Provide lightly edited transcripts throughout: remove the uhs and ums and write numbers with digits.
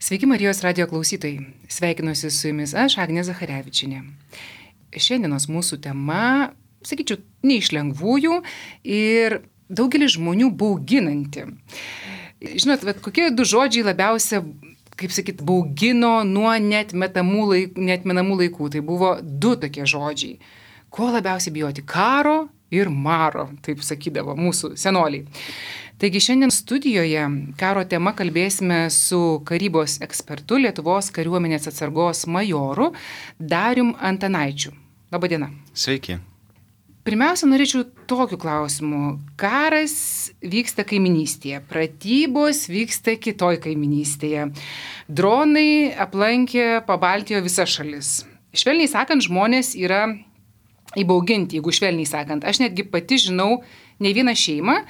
Sveiki Marijos radijo klausytojai. Sveikinuosi su jumis aš, Agnė Zacharevičienė. Šiandienos mūsų tema, sakyčiau, ne iš lengvųjų ir daugelį žmonių bauginanti. Žinot, kokie du žodžiai labiausia, baugino nuo neatmenamų laikų. Tai buvo du tokie žodžiai. Ko labiausiai bijoti? Karo ir maro, taip sakydavo mūsų senoliai. Taigi šiandien studijoje karo tema kalbėsime su karybos ekspertu, Lietuvos kariuomenės atsargos majoru Darium Antanaičiu. Labadiena. Sveiki. Pirmiausia, norėčiau tokiu klausimu. Karas vyksta kaiminystėje, pratybos vyksta kitoj kaiminystėje. Dronai aplankė Pabaltijo visas šalis. Švelniai sakant, žmonės yra įbauginti, jeigu švelniai sakant. Aš netgi pati žinau ne vieną šeimą,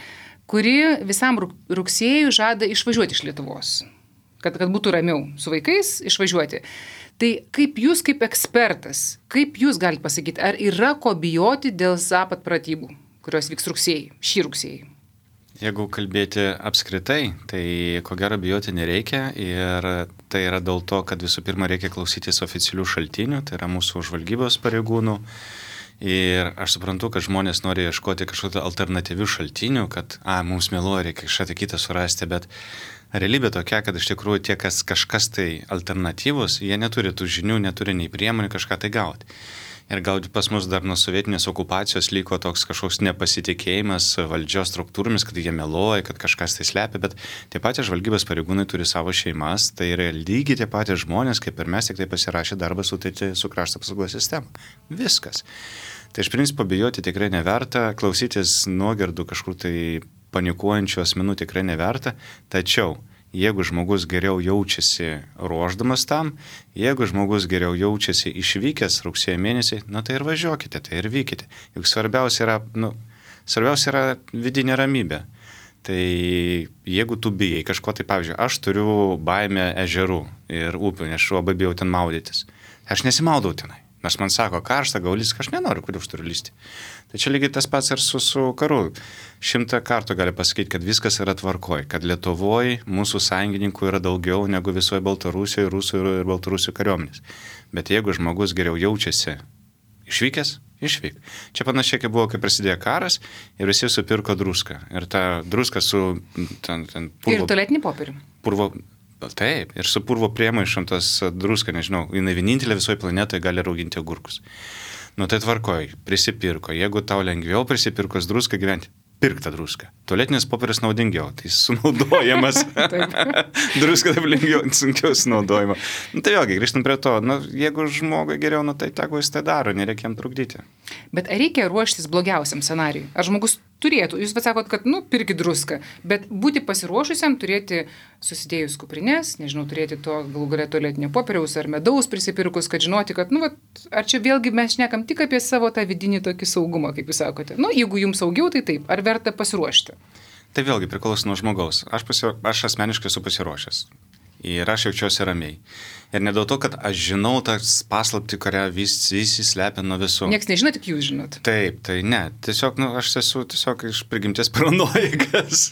kuri visam rugsėjui žada išvažiuoti iš Lietuvos, kad būtų ramiau su vaikais išvažiuoti. Tai kaip jūs kaip ekspertas, kaip jūs galite pasakyti, ar yra ko bijoti dėl Zapad pratybų, kurios vyks šį rugsėjį? Jeigu kalbėti apskritai, tai ko gero bijoti nereikia ir tai yra dėl to, kad visų pirma reikia klausytis oficialių šaltinių, tai yra mūsų žvalgybos pareigūnų. Ir aš suprantu, kad žmonės nori ieškoti kažkokių alternatyvių šaltinių, kad mums meluoja, reikia kažką kitą surasti, bet realybė tokia, kad iš tikrųjų tie, kažkas tai alternatyvus, jie neturi tų žinių, neturi nei priemonių kažką tai gauti. Ir gal pas mus dar nuo sovietinės okupacijos liko toks kažkoks nepasitikėjimas valdžios struktūromis, kad jie meluoja, kad kažkas tai slepia, bet tie patys žvalgybos pareigūnai turi savo šeimas, tai yra lygiai tie patys žmonės, kaip ir mes, tik tai pasirašė darbą sutartį su krašto apsaugos sistema. Viskas. Tai iš principo bijoti tikrai neverta, klausytis nuogirdų kažkur tai panikuojančių asmenų tikrai neverta, tačiau jeigu žmogus geriau jaučiasi ruošdamas tam, jeigu žmogus geriau jaučiasi išvykęs rugsėjo mėnesį, tai ir važiuokite, tai ir vykite. Juk svarbiausia yra vidinė ramybė. Tai jeigu tu bijai kažko, tai pavyzdžiui, aš turiu baimę ežerų ir upių, nes aš labai bijau ten maudytis. Aš nesimaudau tenai. Nes man sako, karšta, gaulis, aš nenoriu, kur aš turiu lysti. Tai čia lygiai tas pats ir su karu. 100 kartų gali pasakyti, kad viskas yra tvarkoj, kad Lietuvoje mūsų sąjungininkų yra daugiau negu visoje Baltarusijoje, Rusų ir Baltarusių kariuomenės. Bet jeigu žmogus geriau jaučiasi išvykęs, išvyk. Čia panašiai, kaip buvo, kai prasidėjo karas ir visi supirko druską. Ir ta druska su purvo... Ir tualetinį popierių. Taip, ir su purvo priemaišom tas druska, nežinau, jinai vienintelė visoje planetoje gali rauginti agurkus. Tai tvarkoj, prisipirko. Jeigu tau lengviau prisipirkos druską gyventi, pirk tą druską. Tualetinis popierius naudingiau, tai sunaudojamas. Druska taip lengviau, sunkiau sunaudojama. Tai vėlgi, grįžtant prie to, jeigu žmogui geriau, tai tegu jis tai daro, nereikia jam trukdyti. Bet ar reikia ruoštis blogiausiam scenarijui? Ar žmogus turėtų, jūs sakot, kad pirkit druską, bet būti pasiruošusiam, turėti susidėjus kuprinės, nežinau, turėti to galų gale tualetinio popieriaus ar medaus prisipirkus, kad žinoti, kad, ar čia vėlgi mes šnekam tik apie savo tą vidinį tokį saugumą, kaip jūs sakote. Jeigu jums saugiau, tai taip, ar verta pasiruošti? Tai vėlgi priklauso nuo žmogaus. Aš asmeniškai esu pasiruošęs. Ir aš jaučiuosi ramiai. Ir ne dėl to, kad aš žinau tas paslaptį, kurią visi slepia nuo visų. Niekas nežino, tik jūs žinot. Taip, tai ne. Tiesiog, aš esu iš prigimties paranoikas.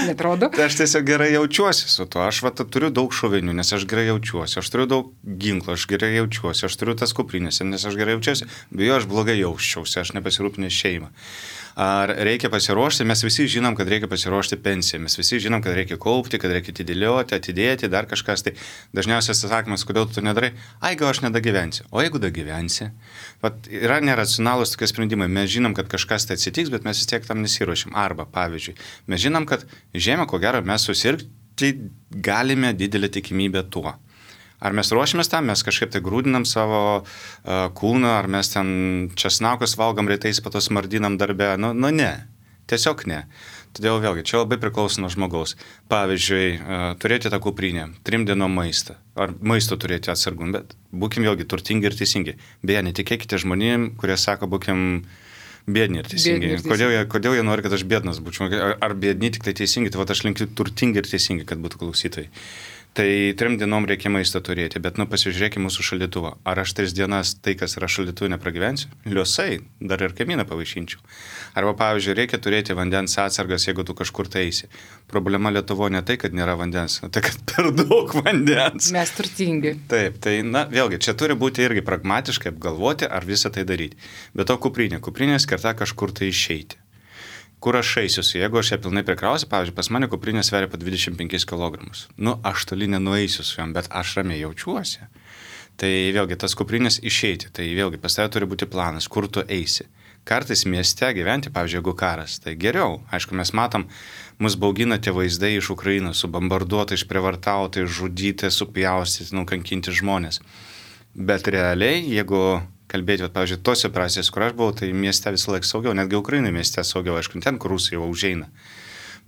Netrodo? Tai aš tiesiog gerai jaučiuosi su tuo. Aš turiu daug šovinių, nes aš gerai jaučiuosi. Aš turiu daug ginklų, aš gerai jaučiuosi. Aš turiu tas kuprinės, nes aš gerai jaučiuosi. Bijo, aš blogai jausčiausi, aš nepasirūpinęs šeimą. Ar reikia pasiruošti? Mes visi žinom, kad reikia pasiruošti pensiją. Mes visi žinom, kad reikia kaupti, kad reikia atidėti, dar kažkas. Tai dažniausias atsakymas, kodėl tu nedarai? Gal aš nedagyvensiu. O jeigu dagyvensi? Yra neracionalūs tokie sprendimai. Mes žinom, kad kažkas tai atsitiks, bet mes vis tiek tam nesiruošim. Arba, pavyzdžiui, mes žinom, kad žiemą, ko gero, mes susirgti galime didelę tikimybę tuo. Ar mes ruošiamės tam, mes kažkaip tai grūdinam savo kūną, ar mes ten česnakus valgom rytais, po to smardinam darbę, ne, tiesiog ne. Todėl vėlgi, čia labai priklauso nuo žmogaus. Pavyzdžiui, turėti tą kuprinę, 3 dienų maistą, ar maisto turėti atsargum, bet būkim vėlgi turtingi ir teisingi. Beje, netikėkite žmonėm, kurie sako, būkim biedni ir teisingi. Kodėl jie nori, kad aš biednas būčiau? Ar biedni tik tai teisingi? Tai aš linkiu turtingi ir teisingi, kad būtų klausytojai. Tai 3 dienom reikia maisto turėti, bet pasižiūrėkime mūsų šaldytuvą. Ar aš 3 dienas tai, kas yra šaldytuvė, nepragyvensiu? Liosai, dar ir kaimyną pavaišinčiau. Arba, pavyzdžiui, reikia turėti vandens atsargas, jeigu tu kažkur tai eisi. Problema Lietuvoje ne tai, kad nėra vandens, tai kad per daug vandens. Mes turtingi. Taip, tai vėlgi, čia turi būti irgi pragmatiškai apgalvoti, ar visą tai daryti. Bet to kuprinė skirta kažkur tai išeiti. Kur aš eisiuosi, jeigu aš ją pilnai prikrausiu, pavyzdžiui, pas mane kuprinė sveria po 25 kg. Aš toli nenueisiu su jom, bet aš ramiai jaučiuosi. Tai vėlgi, tas kuprinės išeiti, tai vėlgi, pas tave turi būti planas, kur tu eisi. Kartais mieste gyventi, pavyzdžiui, jeigu karas, tai geriau. Aišku, mes matom, mus baugina tie vaizdai iš Ukrainos, subombarduoti, išprievartauti, žudyti, supjaustyti, nukankinti žmonės. Bet realiai, jeigu kalbėti, pavyzdžiui, tos operacijas, kur aš buvau, tai mieste visą laiką saugiau, netgi Ukrainai mieste saugiau, aišku, ten, kur Rusija jau užeina.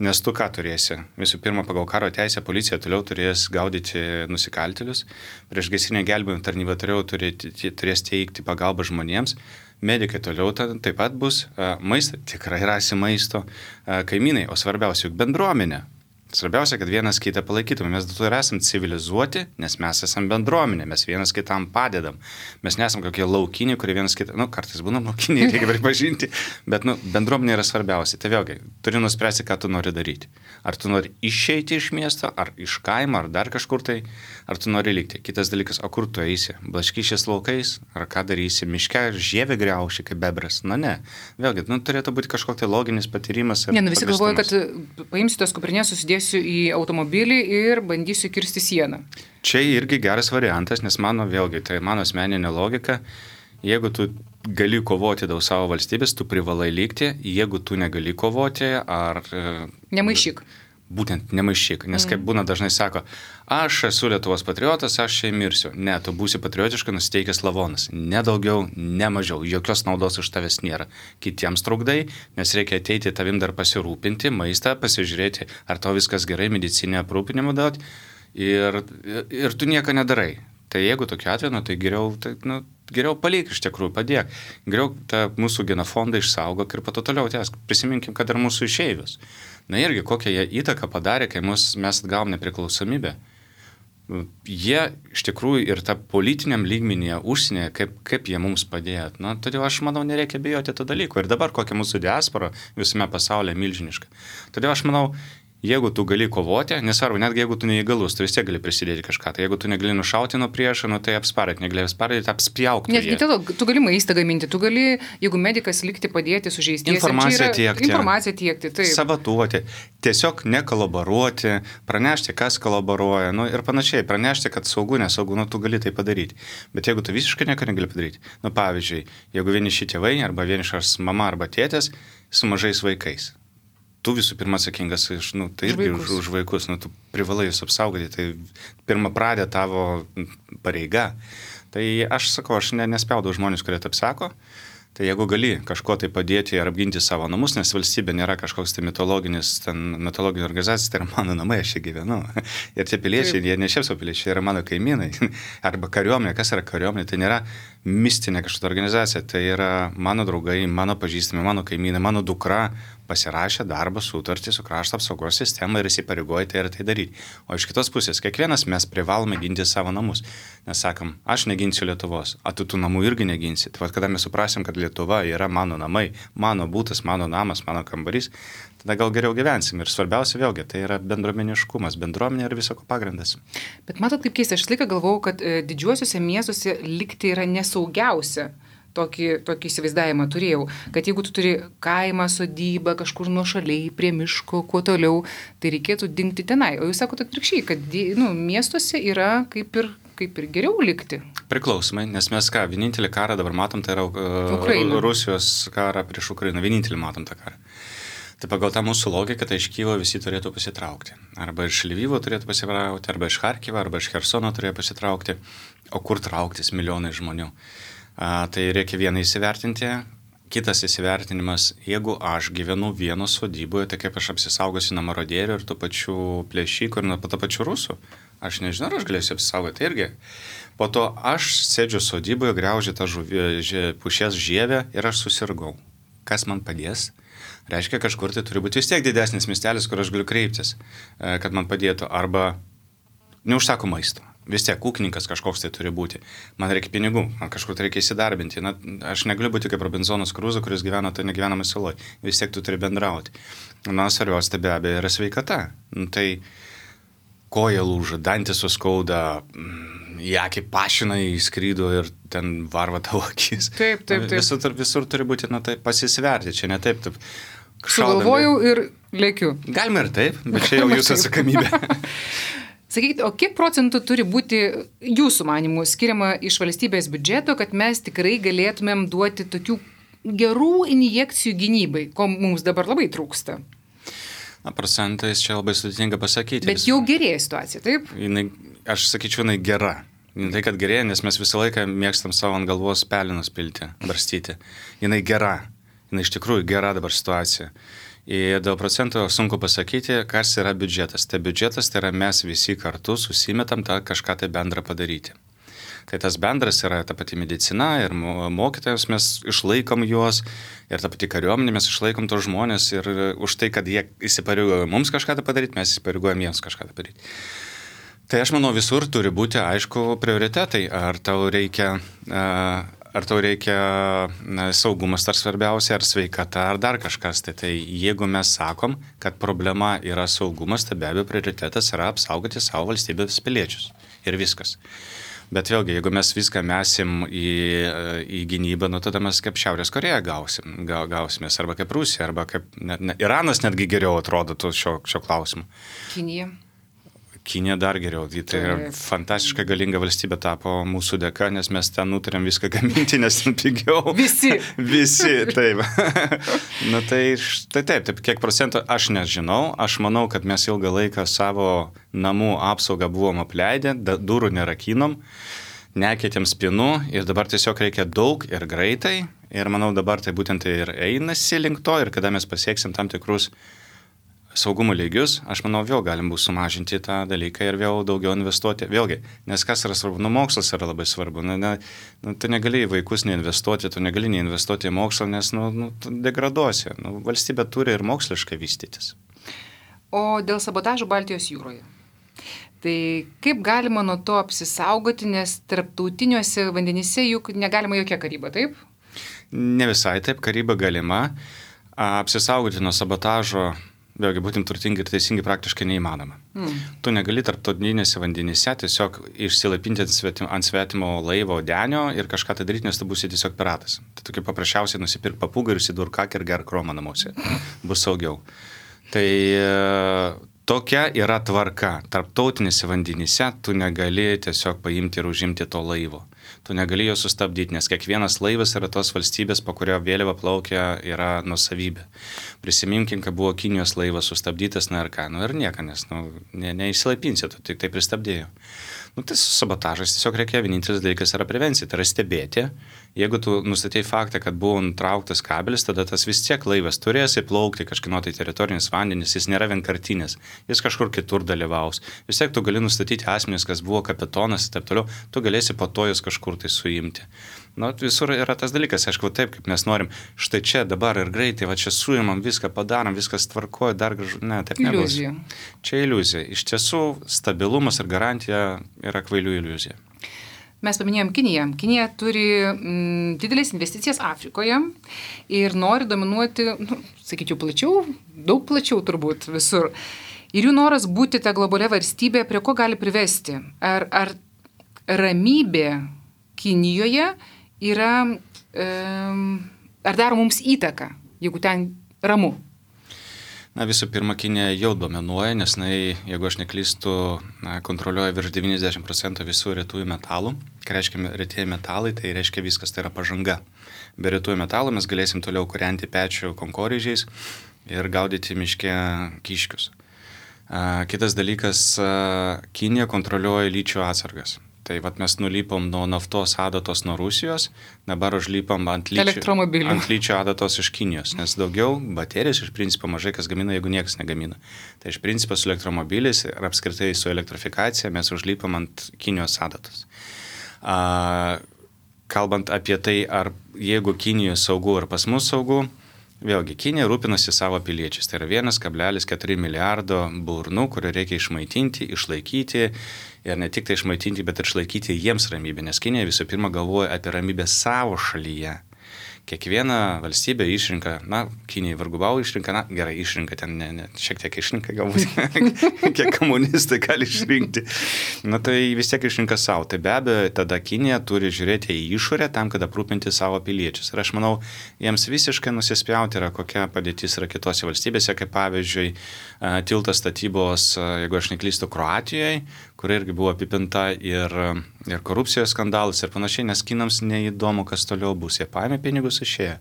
Nes tu ką turėsi? Visų pirma, pagal karo teisę policija toliau turės gaudyti nusikaltėlius, priešgaisrinė gelbėjimo tarnyba turės teikti pagalbą žmonėms, medikai toliau taip pat bus, maistą, tikrai rasi maisto, kaimynai, o svarbiausia, juk bendruomenė. Svarbiausia, kad vienas kitą palaikytume. Mes dėl to ir esam civilizuoti, nes mes esam bendruomenė, mes vienas kitam padedam. Mes nesam kokie laukiniai, kurie vienas kitą, kartais būnam laukiniai, reikia pripažinti, bet bendruomenė yra svarbiausia. Tai vėlgi, turi nuspręsti, ką tu nori daryti. Ar tu nori išeiti iš miesto, ar iš kaimo, ar dar kažkur tai, ar tu nori likti. Kitas dalykas, o kur tu eisi? Blaškyšės laukais, ar ką darysi? Miške žievę griauši kaip bebras? Ne. Vėlgi, turėtų būti kažkoks tai loginis patyrimas. Visi galvoja, kad paimsi tos kuprinės, susidėsiu į automobilį ir bandysiu kirsti sieną. Čia irgi geras variantas, nes mano asmeninė logika, jeigu tu gali kovoti dėl savo valstybės, tu privalai likti, jeigu tu negali kovoti, ar... Nemaišyk. Būtent nemaišyk, nes kaip būna dažnai sako, aš esu Lietuvos patriotas, aš čia mirsiu. Ne, tu būsi patriotiškai nusiteikęs lavonas. Ne daugiau, ne mažiau. Jokios naudos iš tavęs nėra. Kitiems trukdai, nes reikia ateiti tavim dar pasirūpinti, maistą, pasižiūrėti, ar tau viskas gerai, medicinę aprūpinimą duoti ir tu nieko nedarai. Tai jeigu tokiu atveju, tai geriau palik iš tikrųjų, padėk. Geriau tą mūsų genofondą išsaugok ir pato toliau tęsk. Prisiminkim, kad ir mūsų išeivius. Irgi kokią jie įtaką padarė, kai mes atgavom nepriklausomybę. Jie iš tikrųjų ir tą politiniam lygmenyje užsienyje, kaip jie mums padėjo. Todėl aš manau, nereikia bijoti to dalyko. Ir dabar kokia mūsų diaspora visame pasaulyje milžiniška. Todėl aš manau, jeigu tu gali kovoti, nesvarbu, netgi jeigu tu neįgalus, tu vis tiek gali prisidėti kažką. Tai jeigu tu negali nušauti nuo priešo, tai apsparėti, negali apsparėti, apspjauk. Netgi tu gali maistą gaminti, tu gali, jeigu medikas likti padėti sužeistiesiems. Informaciją tiekti, taip. Sabatuoti, tiesiog nekolaboruoti, pranešti, kas kolaboruoja, ir panašiai, pranešti, kad saugu, nesaugu, tu gali tai padaryti. Bet jeigu tu visiškai nieko negali padaryti, pavyzdžiui, jeigu vieniši tėvai arba vienišas mama arba tėtės su mažais vaikais. Tu visų pirma atsakingas tai irgi už vaikus, tu privalai jūs apsaugoti, tai pirma pradė tavo pareiga. Tai aš sakau, aš nespjaudau žmonės, kurie taip sako, tai jeigu gali kažko tai padėti ir apginti savo namus, nes valstybė nėra kažkoks tai mitologinė organizacija, tai yra mano namai, aš čia gyvenu. Ir tie piliečiai, jie ne šiaip savo piliečiai, yra mano kaimynai. Arba kariuomenė, kas yra kariuomenė, tai nėra mistinė kažkokia organizacija, tai yra mano draugai, mano pažįstami, mano kaimynai, mano dukra pasirašė darbo sutartį su krašto apsaugos sistema ir įsipareigoja tai ir tai daryti. O iš kitos pusės, kiekvienas mes privalome ginti savo namus. Nes sakom, aš neginsiu Lietuvos, o tu tų namų irgi neginsi. Tai kada mes suprasim, kad Lietuva yra mano namai, mano būtas, mano namas, mano kambarys, tada gal geriau gyvensim. Ir svarbiausia vėlgi, tai yra bendruomeniškumas, bendruomenė yra visako pagrindas. Bet matot, kaip keista, aš laiką galvojau, kad didžiuosiuose miestuose likti yra nesaugiausia. Tokį įsivaizdavimą turėjau, kad jeigu tu turi kaimą, sodybą, kažkur nuošaliai, prie miško, kuo toliau, tai reikėtų dingti tenai. O jūs sakote atvirkščiai, kad miestuose yra kaip ir geriau likti. Priklausomai, nes mes vienintelį karą dabar matom, tai yra Rusijos karą prieš Ukrainą, vienintelį matom tą karą. Tai pagal tą mūsų logiką, tai iš Kyjivo visi turėtų pasitraukti. Arba iš Lvivo turėtų pasitraukti, arba iš Charkivo, arba iš Chersono turėtų pasitraukti. O kur trauktis milijonai žmonių? Tai reikia vieną įsivertinti, kitas įsivertinimas, jeigu aš gyvenu vieno sodyboje, tai kaip aš apsisaugosiu nuo marodierių ir tų pačių plėšikų ir nuo tų pačių rusų. Aš nežinau, ar aš galėsiu apsisaugoti irgi. Po to aš sėdžiu sodyboje, griaužiu tą pušies žievę ir aš susirgau. Kas man padės? Reiškia, kažkur tai turi būti vis tiek didesnis miestelis, kur aš galiu kreiptis, kad man padėtų. Arba neužsako maisto. Vis tiek ūkininkas kažkoks tai turi būti. Man reikia pinigų, man kažkur tai reikia įsidarbinti. Na, aš negaliu būti kaip Robinzonas Kruzo, kuris gyvena tai negyvenamai saloj. Vis tiek tu turi bendrauti. Na, svarbiausia tai be abejo yra sveikata. Tai koja lūža, dantis suskauda, į akį pašina įskrydo ir ten varva tavo akis. Taip. Visur turi būti, tai pasisverti. Čia ne taip. Sugalvojau ir lėkiu. Galima ir taip, bet čia jau jūsų atsakomybė. Sakykite, o kiek procentų turi būti jūsų manimų skiriama iš valstybės biudžeto, kad mes tikrai galėtumėm duoti tokių gerų injekcijų gynybai, ko mums dabar labai trūksta? Na, procentais čia labai sudėtinga pasakyti. Bet jau gerėja situacija, taip? Aš sakyčiau, jinai gera. Tai, kad gerėja, nes mes visą laiką mėgstam savo ant galvos pelinus pilti, barstyti. Jinai gera. Jinai iš tikrųjų gera dabar situacija. Ir dėl procento sunku pasakyti, kas yra biudžetas. Tai biudžetas tai yra mes visi kartu susimetam tą kažką tai bendrą padaryti. Tai tas bendras yra ta pati medicina ir mokytojams mes išlaikom juos ir ta pati kariuomenė mes išlaikom tos žmonės ir už tai, kad jie įsipareigoja mums kažką tai padaryti, mes įsipareigojam jiems kažką tai padaryti. Tai aš manau visur turi būti aišku prioritetai, ar tau reikia saugumas ar svarbiausia, ar sveikata, ar dar kažkas. Tai jeigu mes sakom, kad problema yra saugumas, tai be abejo prioritetas yra apsaugoti savo valstybės piliečius. Ir viskas. Bet vėlgi, jeigu mes viską mesim į gynybą, tada mes kaip Šiaurės Koreja gausimės, arba kaip Rusija, arba kaip Iranas netgi geriau atrodo šio klausimu. Kinija dar geriau. Tai yra fantastiškai galinga valstybė tapo mūsų dėka, nes mes ten nutarėm viską gaminti, nes ten pigiau. Visi, taip. Taip, kiek procentų aš nežinau. Aš manau, kad mes ilgą laiką savo namų apsaugą buvom apleidę, durų nerakinom, nekeitėm spinų ir dabar tiesiog reikia daug ir greitai. Ir manau, dabar tai būtent ir einasi link to ir kada mes pasieksim tam tikrus saugumo lygius, aš manau, vėl galim bus sumažinti tą dalyką ir vėl daugiau investuoti. Vėlgi, nes kas yra svarbu? Mokslas yra labai svarbu. Tu negali į vaikus neinvestuoti, tu negali neinvestuoti į mokslą, nes tu degraduosi. Valstybė turi ir moksliškai vystytis. O dėl sabotažo Baltijos jūroje? Tai kaip galima nuo to apsisaugoti, nes tarptautiniuose vandenyse juk negalima jokia karyba, taip? Ne visai taip, karyba galima. Apsisaugoti nuo sabotažo vėlgi, būtent turtingi ir teisingi praktiškai neįmanoma. Tu negali tarptautinėse vandenyse tiesiog išsilaipinti ant svetimo laivo denio ir kažką tai daryti, nes tu būsi tiesiog piratas. Tai tokia paprasčiausiai nusipirk papūgą ir įsidurk kakį ir gerk kromą namuose. Bus saugiau. Tai tokia yra tvarka. Tarptautinėse vandenyse tu negali tiesiog paimti ir užimti to laivo. Tu negali jo sustabdyti, nes kiekvienas laivas yra tos valstybės, po kurio vėliava plaukia, yra nuosavybė. Prisiminkim, kad buvo Kinijos laivas sustabdytas, ir nieka, nes neįsilaipinsi, tu tik tai pristabdėjo. Tai sabotažas tiesiog reikia, vienintelis dalykas yra prevencija, tai yra stebėti. Jeigu tu nustatei faktą, kad buvo nutrauktas kabelis, tada tas vis tiek laivas turės įplaukti kažkino tai teritorinis vandenis, jis nėra vienkartinis, jis kažkur kitur dalyvaus. Vis tiek tu gali nustatyti asmenis, kas buvo kapitonas ir taip toliau, tu galėsi po to jūs kažkur tai suimti. Visur yra tas dalykas, aišku, taip, kaip mes norim, štai čia dabar ir greitai, va čia suimam, viską padarom, viskas tvarkoja, dar gražu, ne, taip nebus. Iliuzija. Čia iliuzija. Iš tiesų, stabilumas ir garantija yra kvailių iliuzija. Mes paminėjom Kiniją. Kinija turi didelės investicijas Afrikoje ir nori dominuoti, sakyčiau, plačiau, daug plačiau turbūt visur. Ir jų noras būti ta globalia valstybė, prie ko gali privesti? Ar ramybė Kinijoje yra, ar daro mums įtaką, jeigu ten ramu? Visų pirma, Kinija jau dominuoja, nes jeigu aš neklystu, kontroliuoja virš 90% visų retųjų metalų. Ką reiškia retieji metalai, tai reiškia viskas, tai yra pažanga. Be retųjų metalų mes galėsim toliau kūrenti pečių konkorėžiais ir gaudyti miške kiškius. Kitas dalykas, Kinija kontroliuoja lyčių atsargas. Tai mes nulypom nuo naftos adatos nuo Rusijos, dabar užlypom ant lyčio adatos iš Kinijos, nes daugiau baterijos iš principo mažai kas gamina, jeigu niekas negamina. Tai iš principo su elektromobiliais ir apskritai su elektrifikacija mes užlypom ant Kinijos adatos. Kalbant apie tai, ar jeigu Kinijoje saugu ir pas mus saugu, Vėlgi, Kinija rūpinasi savo piliečiais. Tai yra 1,4 milijardo burnų, kurių reikia išmaitinti, išlaikyti ir ne tik tai išmaitinti, bet ir išlaikyti jiems ramybę, nes Kinija visų pirma galvoja apie ramybę savo šalyje. Kiekviena valstybė išrinka, Kinijai vargubau išrinka, gerai išrinka, ten šiek tiek išrinka galbūt, kiek komunistai gali išrinkti. Tai vis tiek išrinka savo. Tai be abejo, tada Kinija turi žiūrėti į išorę tam, kad aprūpinti savo piliečius. Ir aš manau, jiems visiškai nusispjauti yra, kokia padėtis yra kitose valstybėse, kaip pavyzdžiui, tiltas statybos, jeigu aš neklystu, Kroatijoje, kur irgi buvo apipinta ir korupcijos skandalas ir panašiai, nes kinams neįdomu, kas toliau bus. Jie paėmė pinigus, išėjo.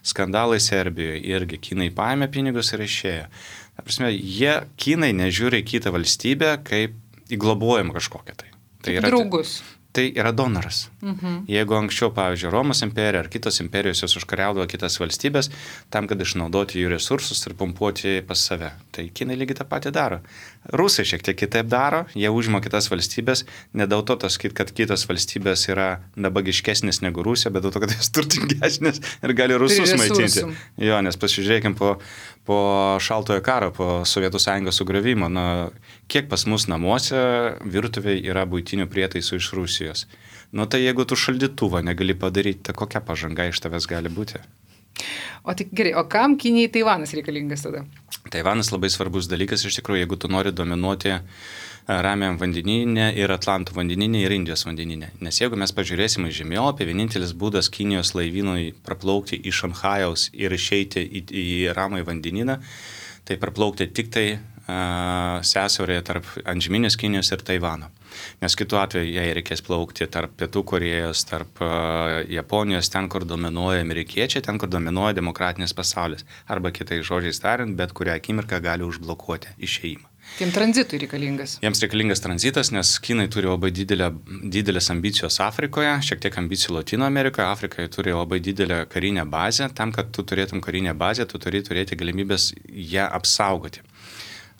Skandalai Serbijoje irgi kinai paėmė pinigus ir išėjo. Ta prasme, kinai nežiūri į kitą valstybę kaip į globojimą kažkokią tai. Tai yra draugus. Tai yra donoras. Jeigu anksčiau, pavyzdžiui, Romos imperija ar kitos imperijos jos užkariaudavo kitas valstybės tam, kad išnaudoti jų resursus ir pumpuoti pas save. Tai kinai lygiai tą patį daro. Rusai šiek tiek kitaip daro, jie užima kitas valstybės, ne dėl to, kad kitos valstybės yra nabagiškesnės negu Rusija, bet dėl to, kad jos turtingesnės ir gali rusus maitinti. Jo, nes pasižiūrėkim po šaltojo karo, po Sovietų Sąjungos sugriovimo, kiek pas mus namuose virtuvėje yra buitinių prietaisų iš Rusijos. Tai jeigu tu šaldytuvą negali padaryti, tai kokia pažanga iš tavęs gali būti? O tik gerai, o kam Kinijai Taivanas reikalingas tada? Taivanas labai svarbus dalykas, iš tikrųjų, jeigu tu nori dominuoti Ramiajam vandenyne ir Atlanto vandenyne ir Indijos vandenyne. Nes jeigu mes pažiūrėsime į žemėlapį, vienintelis būdas Kinijos laivynui praplaukti iš Šanchajaus ir išeiti į Ramųjį vandenyną, tai praplaukti tik tai sąsiaurėje tarp antžeminės Kinijos ir Taivano. Nes kitu atveju jai reikės plaukti tarp Pietų Korėjos, tarp Japonijos, ten, kur dominuoja amerikiečiai, ten, kur dominuoja demokratinis pasaulis. Arba kitais žodžiais tariant, bet kurią akimirką gali užblokuoti išėjimą. Tiem tranzitui reikalingas. Jiems reikalingas tranzitas, nes Kinai turi labai didelės ambicijos Afrikoje, šiek tiek ambicijų Latino Amerikoje. Afrikoje turi labai didelę karinę bazę. Tam, kad tu turėtum karinę bazę, tu turi turėti galimybės ją apsaugoti.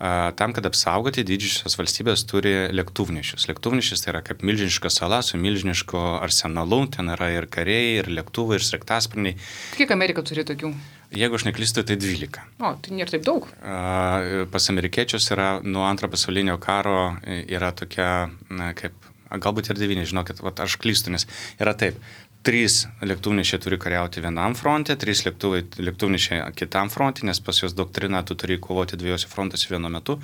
Tam, kad apsaugoti, didžiosios valstybės turi lėktuvnešius. Lėktuvnešis tai yra kaip milžiniška sala su milžinišku arsenalu. Ten yra ir kariai, ir lėktuvai, ir sraigtasparniai. Kiek Amerika turi tokių? Jeigu aš neklystu, tai 12. O, tai nėra taip daug. Pas amerikiečius yra nuo Antrojo pasaulinio karo yra tokia, galbūt ir 9, žinokit, aš klystu, nes yra taip. 3 lėktuvnešiai turi kariauti vienam fronte, 3 lėktuvnešiai kitam fronte, nes pas juos doktrina, tu turi kovoti 2 frontuose vienu metu.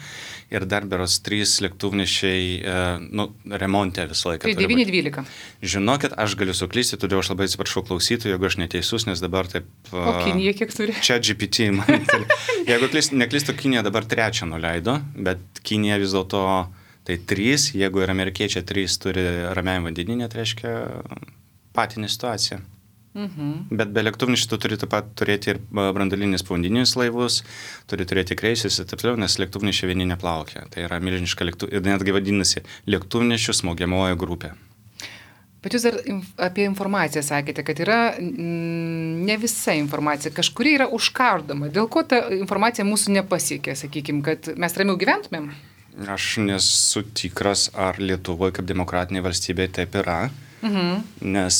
Ir dar beros 3 lėktuvnešiai remonte visą laiką. Tai 9-12. Žinokit, aš galiu suklysti, todėl aš labai atsiprašau klausytojų, jeigu aš neteisus, nes dabar taip... O Kinija kiek turi? Čia GPT. Jeigu neklystu, Kinija dabar 3 nuleido, bet Kinija vis dėlto tai 3, jeigu ir amerikiečiai 3 turi Ramiajam vandenyne, tai reiškia... patinė situacija. Bet be lėktuvnešių tu turi taip pat turėti ir branduolinius povandeninius laivus, turi turėti kreisus ir taip toliau, nes lėktuvnešiai vieni neplaukia. Tai yra milžiniška ir netgi vadinasi lėktuvnešių smogiamoji grupė. Bet jūs dar apie informaciją sakėte, kad yra ne visa informacija, kažkuri yra užkardoma. Dėl ko ta informacija mūsų nepasiekė, sakykime, kad mes ramiau gyventumėm? Aš nesu tikras, ar Lietuvoje kaip demokratinė valstybė taip yra. Nes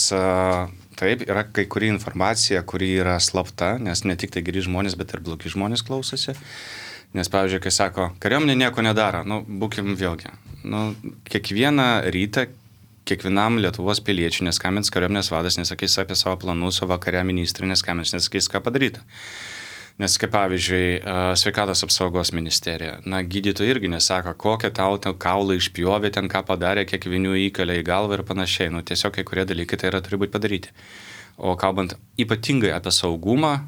taip, yra kai kuri informacija, kuri yra slapta, nes ne tik tai geri žmonės, bet ir blogi žmonės klausosi. Nes, pavyzdžiui, kai sako, kariuomenė nieko nedaro, būkim vėlgi. Kiekvieną rytą, kiekvienam Lietuvos piliečiui neskambins kariuomenės vadas, nesakys apie savo planus, o vakare ministrė neskambins, nesakys, ką padaryta. Nes, kaip pavyzdžiui, sveikatos apsaugos ministerija, gydytojai irgi nesako, kokią tau kaulą išpjovė, ten ką padarė, kiek vinių įkalė į galvą ir panašiai. Tiesiog kai kurie dalykai tai yra turi būti padaryti. O kalbant ypatingai apie saugumą,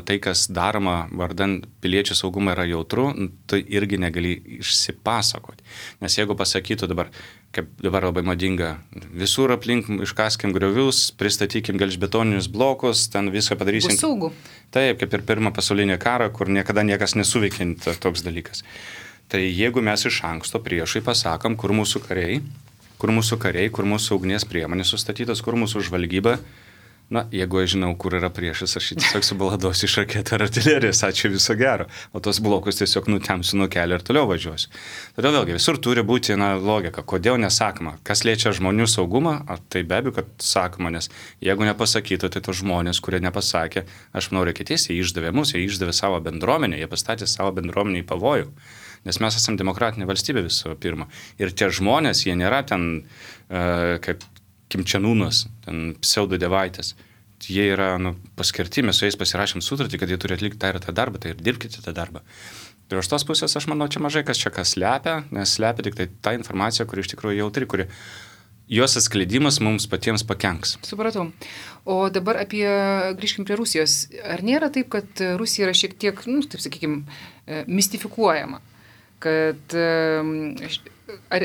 tai, kas daroma vardan piliečių saugumą yra jautru, tai irgi negali išsipasakoti. Nes jeigu pasakytų dabar, kaip dabar labai madinga, visur aplink iškaskim griovius, pristatykim gelžbetoninius blokus, ten viską padarysim. Bus saugu. Taip, kaip ir pirmą pasaulinį karą, kur niekada niekas nesuveikia toks dalykas. Tai jeigu mes iš anksto priešai pasakom, kur mūsų kariai, kur mūsų ugnies priemonės sustatytos, kur mūsų žvalgyba, Na, jeigu aš žinau, kur yra priešas, aš jį tiesiog subaladosiu iš raketų ar artilerijos, ačiū viso gero. O tos blokus tiesiog nutemsiu nuo kelio ir toliau važiuosiu. Todėl vėlgi visur turi būti logika, kodėl nesakoma. Kas liečia žmonių saugumą, tai be abejo, kad sakoma, nes jeigu nepasakytų, tai tos žmonės, kurie nepasakė, aš manau, reikia tiesiai, jie išdavė mus, jie išdavė savo bendruomenę, jie pastatė savo bendruomenę į pavojų. Nes mes esame demokratinė valstybė visų pirma. Ir tie žmonės, jie nėra ten kaip Kimčianūnas, ten pseudo devaitės. Jie yra paskirti, mes su jais pasirašėm sutartį, kad jie turi atlikti tą ir tą darbą, tai ir dirbkite tą darbą. Ir iš tos pusės aš manau, čia mažai kas slepia, nes slepia tik tai ta informacija, kuri iš tikrųjų jautri, kuri jos atskleidimas mums patiems pakenks. Supratau. O dabar grįžkim prie Rusijos. Ar nėra taip, kad Rusija yra šiek tiek, taip sakykime, mistifikuojama? Kad ar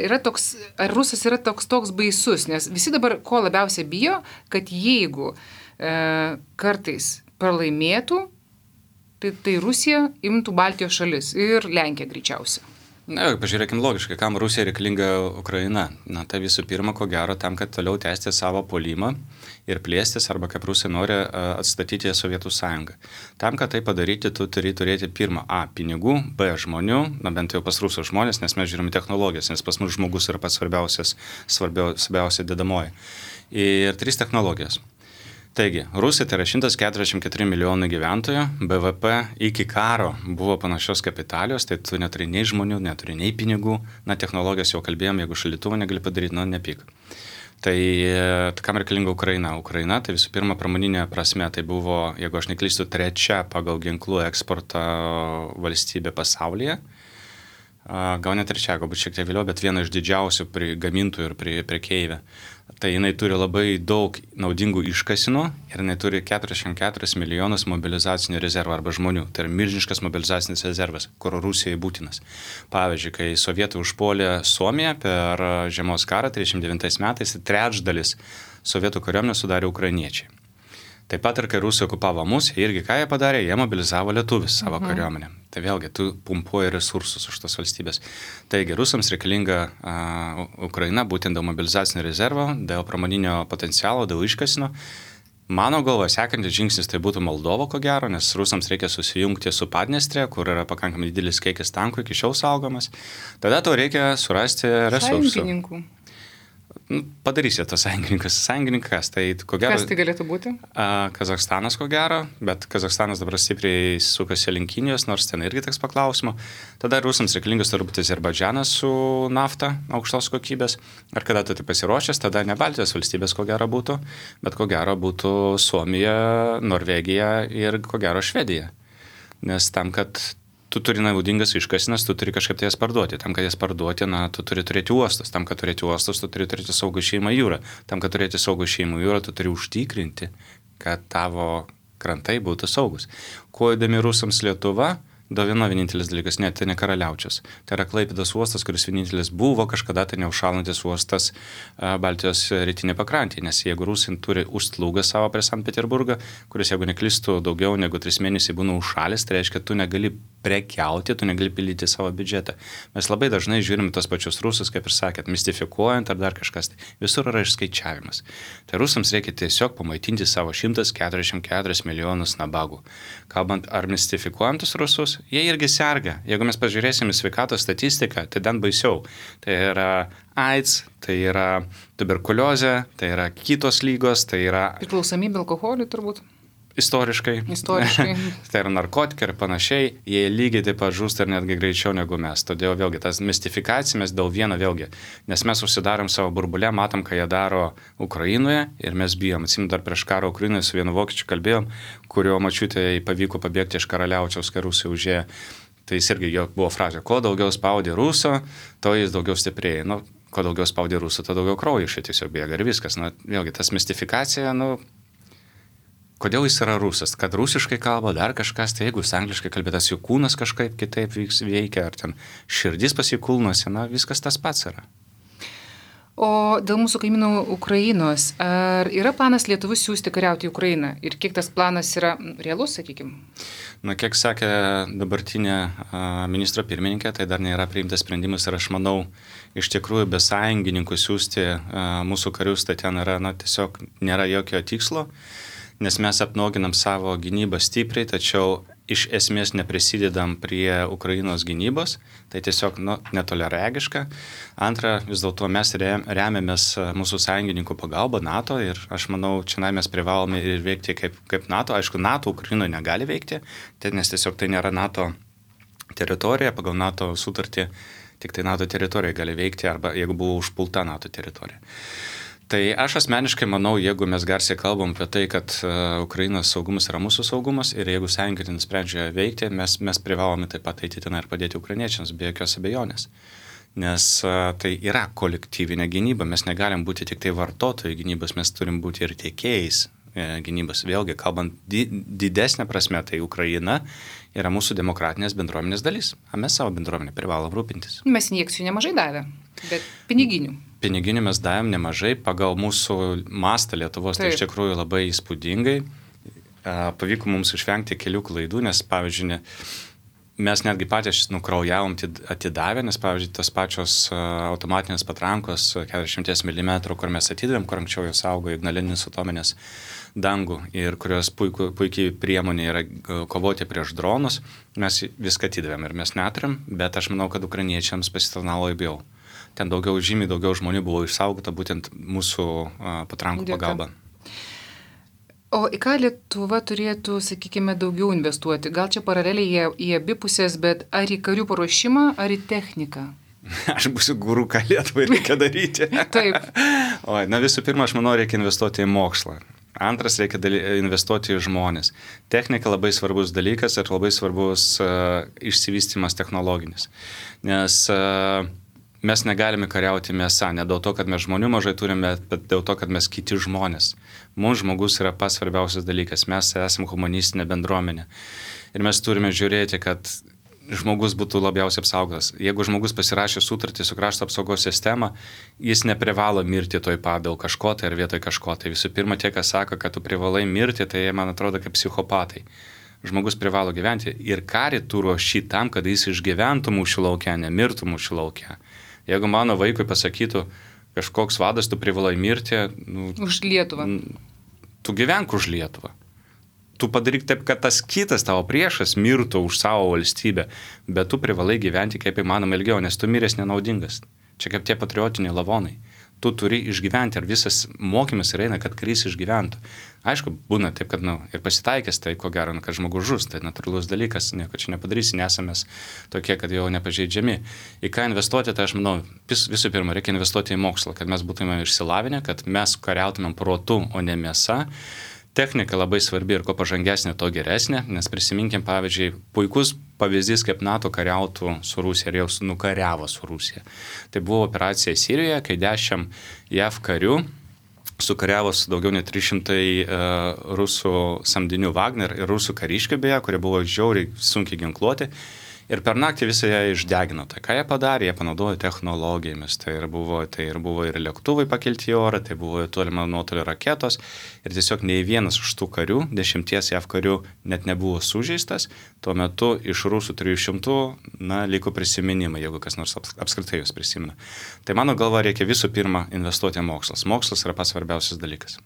Rusas yra toks baisus, nes visi dabar ko labiausiai bijo, kad jeigu kartais pralaimėtų, tai Rusija imtų Baltijos šalis ir Lenkiją greičiausiai. Na, pažiūrėkim logiškai, kam Rusija reikalinga Ukraina. Na, tai visų pirma, ko gero, tam, kad toliau tęsti savo puolimą ir plėstis, arba kaip Rusija nori atstatyti Sovietų sąjungą. Tam, kad tai padaryti, tu turi turėti pirmą pinigų, žmonių, bent jau pas rusų žmonės, nes mes žiūrime technologijas, nes pas mus žmogus yra pats svarbiausia dedamoji. Ir 3 technologijos. Taigi, Rusija tai yra 144 milijonai gyventojų, BVP iki karo buvo panašios kapitalijos, tai tu neturi nei žmonių, neturi nei pinigų, technologijas jau kalbėjom, jeigu šaldytuvą negali padaryti, nepyk. Tai kam reikalinga Ukraina? Ukraina, tai visų pirma, pramoninė prasme, tai buvo, jeigu aš neklystu, 3 pagal ginklų eksportą valstybė pasaulyje. Gal ne 3, galbūt šiek tiek vėliau, bet viena iš didžiausių gamintojų ir prekeivių. Tai jinai turi labai daug naudingų iškasinų ir jinai turi 44 milijonus mobilizacinių rezervų arba žmonių. Tai yra milžiniškas mobilizacinis rezervas, kur Rusijai būtinas. Pavyzdžiui, kai sovietai užpuolė Suomiją per žiemos karą 39 metais, trečdalis sovietų kariuomenės sudarė ukrainiečiai. Taip pat ir kai Rusija okupavo mus, irgi ką jie padarė, jie mobilizavo lietuvis savo kariuomenę. Tai vėlgi, tu pumpuoji resursus už tos valstybės. Taigi, rusams reikalinga Ukraina būtent dėl mobilizacinio rezervo, dėl pramoninio potencialo, dėl iškasino. Mano galva, sekantis žingsnis tai būtų Moldova, ko gero, nes rusams reikia susijungti su Padniestrė, kur yra pakankamai didelis kiekis tankų iki šiol saugomas. Tada tau reikia surasti resursų. Sąjungininkų. Padarysi tos sąjungininkas. Tai ko gero. Kas tai galėtų būti? Kazachstanas, ko gero, bet Kazachstanas dabar stipriai sukasi link Kinijos, nors ten irgi teks paklausimo. Tada rusams reikalingas turbūt Azerbaidžanas su nafta aukštos kokybės. Ar kada tu tai pasiruošęs, tada ne Baltijos valstybės, ko gero būtų, bet ko gero būtų Suomija, Norvegija ir ko gero Švedija. Nes tam, kad tu turi naudingas iškasinas, tu turi kažkaip tai jas parduoti. Tam, kad jas parduoti, tu turi turėti uostus. Tam, kad turėti uostus, tu turi turėti saugų išėjimą į jūrą. Tam, kad turėti saugų išėjimą į jūrą, tu turi užtikrinti, kad tavo krantai būtų saugus. Kuo įdomi rusams Lietuva? Vienintelis dalykas, tai ne Karaliaučius. Tai yra Klaipėdos uostas, kuris vienintelis buvo kažkada tai neužšalantis uostas Baltijos rytinė pakrantė, nes jeigu rusai turi užslūgą savo prie Sankt Peterburgą, kuris, jeigu neklystu, daugiau negu 3 mėnesiai būna užšalis, tai reiškia, tu negali prekiauti, tu negali pildyti savo biudžetą. Mes labai dažnai žiūrime tos pačius rusus, kaip ir sakėt, mistifikuojant ar dar kažkas. Visur yra išskaičiavimas. Tai rusams reikia tiesiog pamaitinti savo 144 milijonus nabagų. Kalbant ar mistifikuojantus rusus, jie irgi serga. Jeigu mes pažiūrėsime sveikatos statistiką, tai dan baisiau. Tai yra AIDS, tai yra tuberkuliozė, tai yra kitos lygos, tai yra priklausomybė alkoholiui turbūt. Istoriškai. Tai yra narkotikai ir panašiai, jie lygiai taip pat žūsta ir netgi greičiau negu mes. Todėl vėlgi tas mistifikacijomis dėl vieno vėlgi, nes mes užsidarom savo burbulę, matom, ką jie daro Ukrainoje ir mes bijom. Atsimenu, dar prieš karą Ukrainoje su vienu vokiečiu kalbėjom, kurio mačiutė pavyko pabėgti iš Karaliaučiaus, kai Rusija užėjo. Tai jis irgi jo buvo frazė, kuo daugiau spaudė Ruso, to jis daugiau stiprėja. Kuo daugiau spaudė Ruso, to daugiau kraujo iš jo tiesiog bėga ir viskas. Vėlgi tas mistifikacija, kodėl jis yra rusas? Kad rusiškai kalba, dar kažkas, tai jeigu jis angliškai kalbėtas, jų kūnas kažkaip kitaip veikia, ar ten širdis pas jų kūnuose, viskas tas pats yra. O dėl mūsų kaimynų Ukrainos, ar yra planas Lietuvos siųsti kariauti į Ukrainą? Ir kiek tas planas yra realus, sakykime? Kiek sakė dabartinė ministro pirmininkė, tai dar nėra priimtas sprendimas ir aš manau, iš tikrųjų be sąjungininkų siųsti mūsų karius, tai ten yra, tiesiog nėra jokio tikslo. nes mes apnuoginam savo gynybą stipriai, tačiau iš esmės neprisidedam prie Ukrainos gynybos, tai tiesiog netoleregiška. Antra, vis dėlto mes remiamės mūsų sąjungininkų pagalba NATO ir aš manau, čia mes privalome ir veikti kaip NATO. Aišku, NATO Ukrainoje negali veikti, nes tiesiog tai nėra NATO teritorija, pagal NATO sutartį tik tai NATO teritorija gali veikti arba jeigu buvo užpulta NATO teritorija. Tai aš asmeniškai manau, jeigu mes garsiai kalbam apie tai, kad Ukrainos saugumas yra mūsų saugumas ir jeigu sąjungininkai nusprendžia veikti, mes privalome taip pat eiti ten ir padėti ukrainiečiams, be jokios abejonės. Nes tai yra kolektyvinė gynyba, mes negalim būti tik tai vartotojai gynybos, mes turim būti ir tiekėjais gynybos. Vėlgi, kalbant didesnė prasme, tai Ukraina yra mūsų demokratinės bendruomenės dalis. O mes savo bendruomenę privalom rūpintis. Mes injekcijų nemažai davė, bet piniginių. Piniginių mes davėm nemažai, pagal mūsų mastą Lietuvos, tai iš tikrųjų labai įspūdingai. Pavyko mums išvengti kelių klaidų, nes, pavyzdžiui, mes netgi patys nukraujavom atidavę, nes, pavyzdžiui, tas pačios automatinės patrankos 40 mm, kur mes atidavėm, kur anksčiau jos saugo Ignalinis atominės dangų ir kurios puikiai priemonė yra kovoti prieš dronus, mes viską atidavėm ir mes neturim, bet aš manau, kad ukrainiečiams pasitarnavo labiau. Ten žymiai daugiau žmonių buvo išsaugota būtent mūsų patrankų pagalba. O į ką Lietuva turėtų, sakykime, daugiau investuoti? Gal čia paraleliai į abi pusės, bet ar į karių paruošimą, ar į techniką? Aš būsiu guru, ką Lietuvai reikia daryti. Taip. Visų pirma, aš manau, reikia investuoti į mokslą. Antras, reikia investuoti į žmonės. Technika labai svarbus dalykas ir labai svarbus išsivystymas technologinis. Nes mes negalime kariauti mėsą, ne dėl to, kad mes žmonių mažai turime, bet dėl to, kad mes kiti žmonės. Mums žmogus yra pats svarbiausias dalykas, mes esame humanistinė bendruomenė. Ir mes turime žiūrėti, kad žmogus būtų labiausiai apsaugotas. Jeigu žmogus pasirašė sutartį su krašto apsaugos sistema, jis neprivalo mirti toj pat dėl kažko tai ar vietoj kažko. Tai visų pirma, tie, kas sako, kad tu privalai mirti, tai man atrodo kaip psichopatai. Žmogus privalo gyventi ir karį tu ruoši tam, kad jis išgyventų mūšių lauke, nemirtų mūšių lauke. Jeigu mano vaikui pasakytų, kažkoks vadas, tu privalai mirti... Už Lietuvą. Tu gyvenk už Lietuvą. Tu padaryk taip, kad tas kitas tavo priešas mirtų už savo valstybę, bet tu privalai gyventi kaip įmanoma ilgiau, nes tu miręs nenaudingas. Čia kaip tie patriotiniai lavonai. Tu turi išgyventi ir visas mokymas ir eina, kad karys išgyventų. Aišku, būna taip, kad ir pasitaikęs, tai ko gero, kad žmogus žus, tai natūralus dalykas, nieko čia nepadarysi, nesame tokie, kad jau nepažeidžiami. Į ką investuoti, tai aš manau, visų pirma, reikia investuoti į mokslą, kad mes būtume išsilavinę, kad mes kariautumėm protu, o ne mėsa. Technika labai svarbi ir kuo pažangesnė, to geresnė, nes prisiminkim, pavyzdžiui, puikus pavyzdys, kaip NATO kariautų su Rusija ir jau nukariavo su Rusija. Tai buvo operacija Sirijoje, kai 10 JAV karių sukariavo su daugiau nei 300 rusų samdinių Wagner ir rusų kariškių beje, kurie buvo žiauriai sunkiai ginkluoti. Ir per naktį visą ją išdegino. Tai ką jie padarė? Jie panaudojo technologijomis. Tai ir buvo ir lėktuvai pakelti į orą, tai buvo tolimo nuotolio raketos. Ir tiesiog nei vienas iš tų karių, 10 JAV karių, net nebuvo sužeistas. Tuo metu iš rusų 300, liko prisiminimai, jeigu kas nors apskritai jūs prisimena. Tai mano galva reikia visų pirma investuoti į mokslas. Mokslas yra pats svarbiausias dalykas.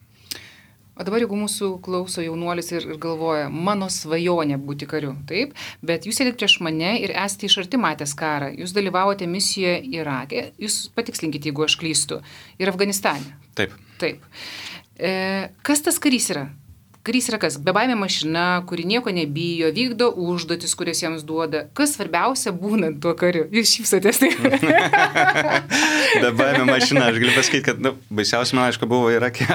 O dabar, jeigu mūsų klauso jaunuolis ir galvoja, mano svajonė būti kariu, taip, bet jūs sėdit prieš mane ir esate iš arti matęs karą, jūs dalyvavote misijoje Irake, jūs patikslinkite, jeigu aš klystu, ir Afganistane. Taip. Kas tas karys yra? Karys yra kas? Bebaimė mašina, kuri nieko nebijo, vykdo užduotis, kurias jiems duoda. Kas svarbiausia būnant tuo kariu? Jūs šypsotės tai. Bebaimė mašina, aš galiu pasakyti, kad baisiausia man, aišku, buvo Irake.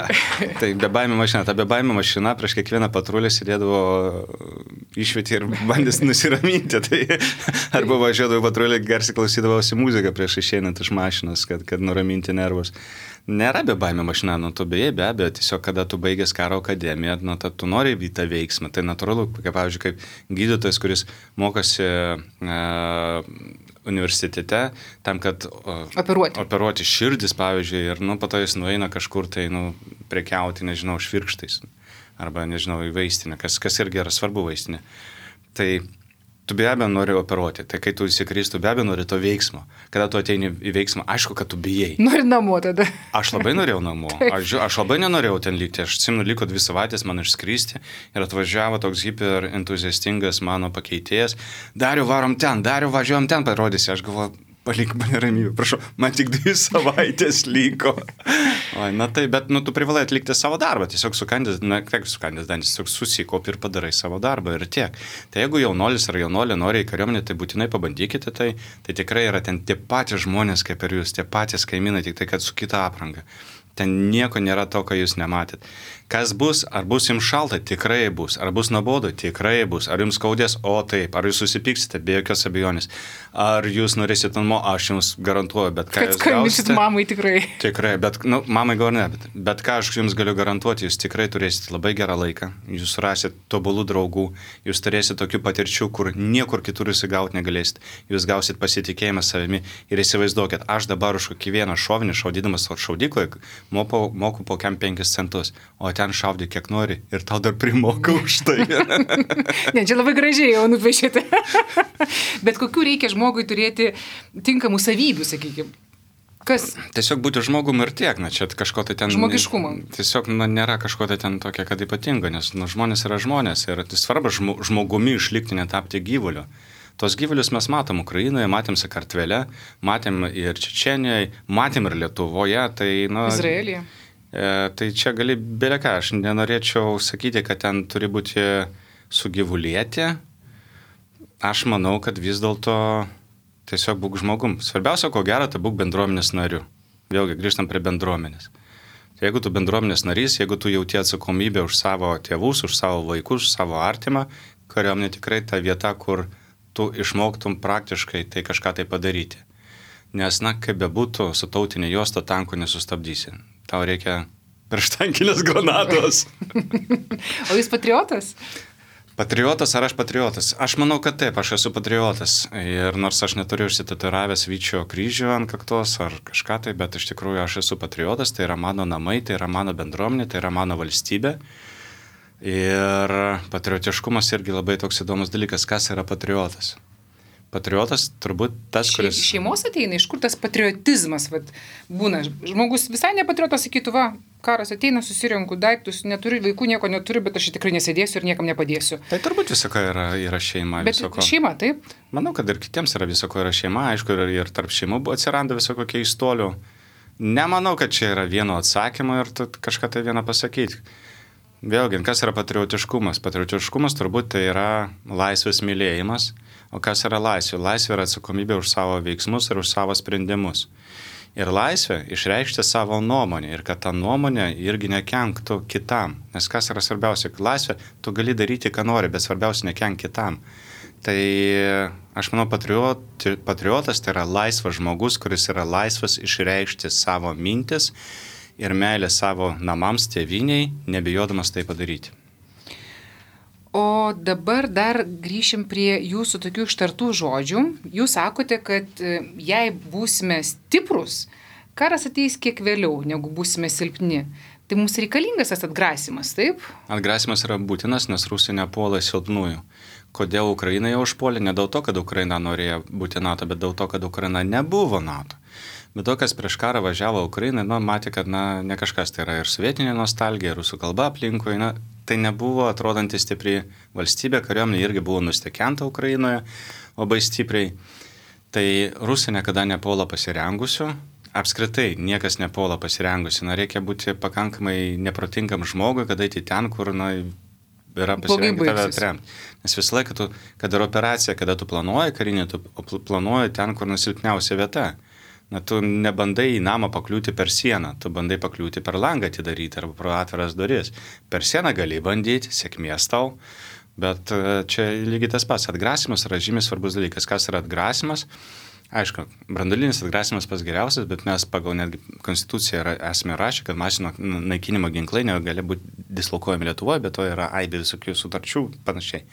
Tai bebaimė mašina. Ta bebaimė mašina prieš kiekvieną patrulę sėdėdavo išvietį ir bandys nusiraminti. Tai arba važiuodavo patrulę, garsiai klausydavosi muziką prieš išeinant iš mašinos, kad nuraminti nervus. Nėra bebaimė mašina, tu beje, be abejo, tiesiog kada tu baigęs karo akademiją, tu nori į tą veiksmą. Tai natūralu, pavyzdžiui, kaip gydytojas, kuris mokosi universitete tam, kad operuoti širdis, pavyzdžiui, ir po to jis nueina kažkur tai prekiauti, nežinau, švirkštais arba, nežinau, į vaistinę, kas irgi yra svarbu vaistinė. Tai tu be abejo nori operuoti, tai kai tu įsikrist, tu be abejo nori to veiksmo. Kada tu ateini į veiksmą, aišku, kad tu bijai. Nori namo tada. Aš labai norėjau namo, aš labai nenorėjau ten likti, aš atsimenu, liko 2 savaitės man išskristi ir atvažiavo toks hiper entuziastingas mano pakeitėjas, Dariau varom ten, Dariau važiuojam ten, parodysi, aš galvoju, palik mane ramybę, prašau, man tik 2 savaitės liko. O, na tai, bet tu privalai atlikti savo darbą, tiesiog sukandęs dantis, tiesiog susikaupi ir padarai savo darbą ir tiek. Tai jeigu jaunuolis ar jaunolė nori į kariuomenę, tai būtinai pabandykite tai tikrai yra ten tie patys žmonės kaip ir jūs, tie patys kaimynai, tik tai kad su kita apranga. Ten nieko nėra to, ką jūs nematėt. Kas bus, ar bus jums šalta, tikrai bus, ar bus nuobodu, tikrai bus, ar jums skaudės, o taip, ar jūs susipyksite, be jokios abejonės, ar jūs norėsite namo, aš jums garantuoju, bet ką jūs gausite. Mamai tikrai. Tikrai, bet, mamai gal ne, bet ką aš jums galiu garantuoti, jūs tikrai turėsite labai gerą laiką, jūs rasit tobulų draugų, jūs turėsite tokių patirčių, kur niekur kitur jūs įgauti negalėsite, jūs gausit pasitikėjimą savimi ir įsivaizduokit, aš dabar už kiekvieną šovinį, šaudydamas šaudykloje, moku po 5 centus, o ten šaudė kiek nori ir tau dar primoka už tai. Ne, čia labai gražiai jau nupiešėte. Bet kokių reikia žmogui turėti tinkamų savybių, sakykime? Kas? Tiesiog būti žmogum ir tiek, čia kažko tai ten... Žmogiškumo. Tiesiog nėra kažko tai ten tokia, kad ypatingo, nes žmonės yra žmonės ir tai svarbu žmogumi išlikti, netapti gyvuliu. Tos gyvulius mes matom Ukrainoje, matėm Sakartvele, matėm ir Čečenijoje, matėm ir Lietuvoje, tai... Izraelyje. Tai čia gali beleką, aš nenorėčiau sakyti, kad ten turi būti sugyvulėti. Aš manau, kad vis dėlto tiesiog būk žmogum. Svarbiausia, ko gero, tai būk bendruomenės nariu. Vėlgi, grįžtam prie bendruomenės. Tai jeigu tu bendruomenės narys, jeigu tu jauti atsakomybę už savo tėvus, už savo vaikus, už savo artimą, kariuomenė tikrai ta vieta, kur tu išmoktum praktiškai tai kažką tai padaryti. Nes, kaip bebūtų, su tautinė juosta tankų nesustabdysi. Tau reikia prieštankinės granatos. O jūs patriotas? Patriotas ar aš patriotas? Aš manau, kad taip, aš esu patriotas. Ir nors aš neturiu užsitatuiravęs Vyčio kryžių ant kaktos ar kažką tai, bet iš tikrųjų aš esu patriotas, tai yra mano namai, tai yra mano bendruomenė, tai yra mano valstybė. Ir patriotiškumas irgi labai toks įdomus dalykas, kas yra patriotas. Patriotas turbūt tas, kuris... Šeimos ateina, iš kur tas patriotizmas būna. Žmogus visai nepatriotas sakytų, karas ateina, susirenku daiktus, neturiu vaikų, nieko neturiu, bet aš tikrai nesėdėsiu ir niekam nepadėsiu. Tai turbūt visoko yra šeima. Bet visoko. Šeima, taip? Manau, kad ir kitiems yra visoko yra šeima, aišku, ir tarp šeimų atsiranda visoko keistolių. Nemanau, kad čia yra vieno atsakymo ir tu kažką tai vieną pasakyti. Vėlgi, kas yra patriotiškumas? Patriotiškumas turbūt tai yra laisvės mylėjimas. O kas yra laisvė? Laisvė yra atsakomybė už savo veiksmus ir už savo sprendimus. Ir laisvė išreikšti savo nuomonę ir kad ta nuomonė irgi nekenktų kitam. Nes kas yra svarbiausia? Laisvė, tu gali daryti, ką nori, bet svarbiausia nekenk kitam. Tai aš manau, patriotas tai yra laisvas žmogus, kuris yra laisvas išreikšti savo mintis ir meilę savo namams, tėviniai, nebijodamas tai padaryti. O dabar dar grįšim prie jūsų tokių ištartų žodžių. Jūs sakote, kad jei būsime stiprus, karas ateis kiek vėliau, negu būsime silpni. Tai mums reikalingas tas atgrasimas, taip? Atgrasimas yra būtinas, nes Rusija nepuola silpnųjų. Kodėl Ukraina jau užpuolė? Ne dėl to, kad Ukraina norėjo būti NATO, bet dėl to, kad Ukraina nebuvo NATO. Bet to, kas prieš karą važiavo Ukrainai, matė, kad ne kažkas, tai yra ir sovietinė nostalgija, ir rusų kalba aplinkui, tai nebuvo atrodanti stipri valstybė, kariuomenė irgi buvo nustekenta Ukrainoje labai stipriai. Tai Rusija niekada nepuola pasirengusių, apskritai niekas nepuola pasirengusių, reikia būti pakankamai neprotingam žmogui, kad eiti ten, kur yra pasirengę tave atremti. Nes visą laiką, kad ir operacija, kada tu planuoji karinį, tu planuoji ten, kur nusilpniausia vieta. Tu nebandai į namą pakliūti per sieną, tu bandai pakliūti per langą atidaryti arba pro atviras duris. Per sieną gali bandyti, sėkmės tau, bet čia lygiai tas pats. Atgrasimas yra žymiai svarbus dalykas. Kas yra atgrasimas? Aišku, branduolinis atgrasimas pats geriausias, bet mes pagal netgi konstituciją esame rašę, kad masinio naikinimo ginklai negali būti dislokuojami Lietuvoje, bet to yra aibė visokių sutarčių panašiai.